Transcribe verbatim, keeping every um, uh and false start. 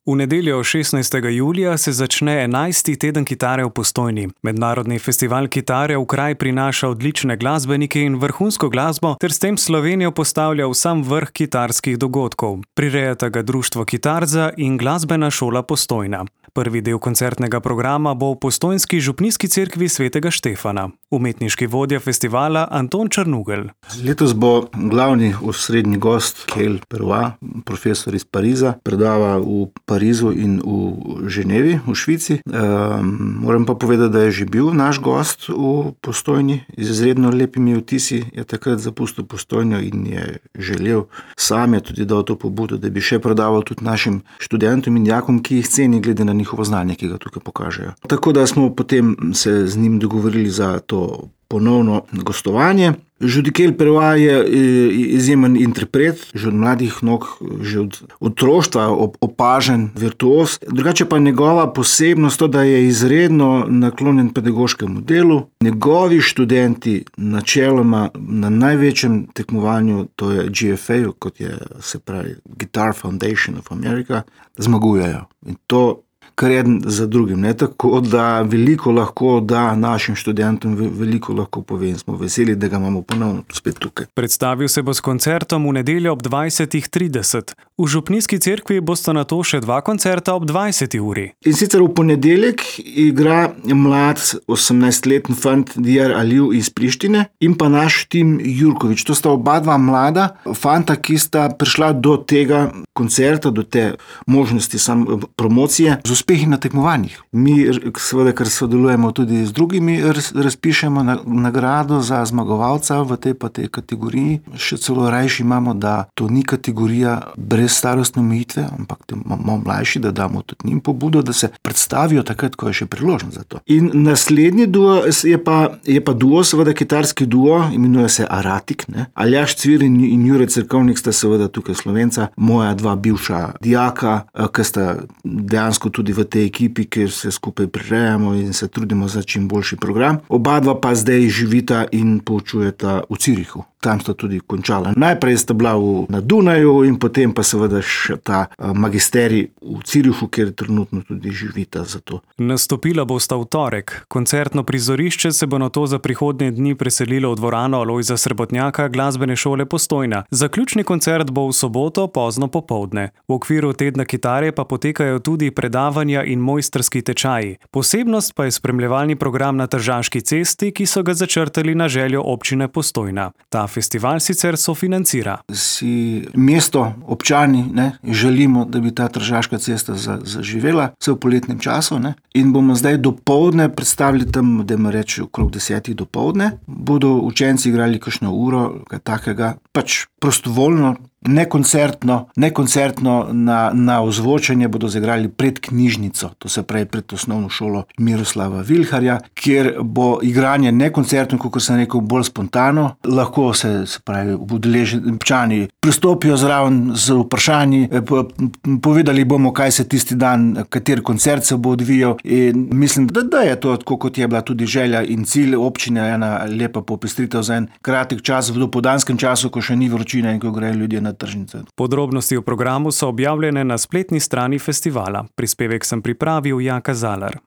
V nedeljo šestnajstega julija se začne enajsti teden kitare v Postojni. Mednarodni festival kitare v kraj prinaša odlične glasbenike in vrhunsko glasbo ter s tem Slovenijo postavlja v sam vrh kitarskih dogodkov. Prirejata ga Društvo Kitarza in Glasbena šola Postojna. Prvi del koncertnega programa bo v postojnski župnijski cerkvi svetega Štefana. Umetniški vodja festivala Anton Črnugelj. Letos bo glavni osrednji gost Kel Perua, profesor iz Pariza, predava v Parizu in v Ženevi, v Švici. E, moram pa povedati, da je že bil naš gost v Postojni z izredno lepimi vtisi, je takrat zapustil Postojno in je želel, sam je tudi dal to pobudo, da bi še predaval tudi našim študentom in dijakom, ki jih ceni glede na njihovo znanje, ki ga tukaj pokažejo. Tako da smo potem se z njim dogovorili za to ponovno gostovanje. Kel Perua je izjemen interpret, že od mladih nog, že od otroštva opažen virtuoz. Drugače pa njegova posebnost to, da je izredno naklonjen pedagoškemu delu. Njegovi študenti načeloma na največjem tekmovanju, to je G F A, kot je se pravi Guitar Foundation of America, zmagujejo. In to kar eden za drugim, ne? Tako da veliko lahko da našim študentom, veliko lahko pove in smo veseli, da ga imamo ponovno spet tukaj. Predstavil se bo s koncertom v nedeljo ob dvajsetih trideset. V župnijski cerkvi bosta nato še dva koncerta ob dvajseti uri. In sicer v ponedeljek igra mlad osemnajstletni fant Diyar Aliu iz Prištine in pa naš Tim Jurkovič. To sta oba dva mlada fanta, ki sta prišla do tega koncerta, do te možnosti sam promocije z uspehi na tekmovanjih. Mi seveda, ker sodelujemo tudi z drugimi, razpišemo nagrado za zmagovalca v tej pa tej kategoriji. Še celo rajši imamo, da to ni kategorija brez starostne omejitve, ampak malo mlajši, da damo tudi njim pobudo, da se predstavijo takrat, ko je še priložnost za to. In naslednji duo je pa, je pa duo, seveda kitarski duo, imenuje se Aratik, ne? Aljaž Cvir in, in Jure Cerkovnik sta seveda tukaj Slovenca, moja dva bivša dijaka, ki sta dejansko tudi v tej ekipi, kjer se skupaj prirejamo in se trudimo za čim boljši program. Oba dva pa zdaj živita in poučujeta v Cirihu. Tam sta tudi končala. Najprej sta bila v, na Dunaju in potem pa seveda še ta magisterij v Cirihu, kjer trenutno tudi živita za to. Nastopila bosta v torek. Koncertno prizorišče se bo nato za prihodnje dni preselilo v dvorano Alojza Srebotnjaka Glasbene šole Postojna. Zaključni koncert bo v soboto pozno popoldne. V okviru tedna kitare pa potekajo tudi predavanja in mojstrski tečaji. Posebnost pa je spremljevalni program na Tržaški cesti, ki so ga začrtali na željo občine Postojna. Ta festival sicer sofinancira. Si mesto, občani, ne, želimo, da bi ta Tržaška cesta zaživela vse v poletnem času, ne, in bomo zdaj dopoldne predstavili tam, da me reči okrog desetih dopoldne. Bodo učenci igrali kakšno uro, kaj takega, pač prostovoljno, nekoncertno, nekoncertno na, na ozvočenje bodo zagrali pred knjižnico, to se pravi pred osnovno šolo Miroslava Vilharja, kjer bo igranje nekoncertno, kot sem rekel, bolj spontano. Lahko se, se pravi, udeleženi občani pristopijo zraven z vprašanji, povedali bomo, kaj se tisti dan, kateri koncert se bo odvijal in mislim, da, da je to tako, kot je bila tudi želja in cilj občine, ena lepa popestritev za en kratek čas v dopoldanskem času, ko še ni vročina in ko grejo ljudje na tržnice. Podrobnosti o programu so objavljene na spletni strani festivala. Prispevek sem pripravil Jaka Zalar.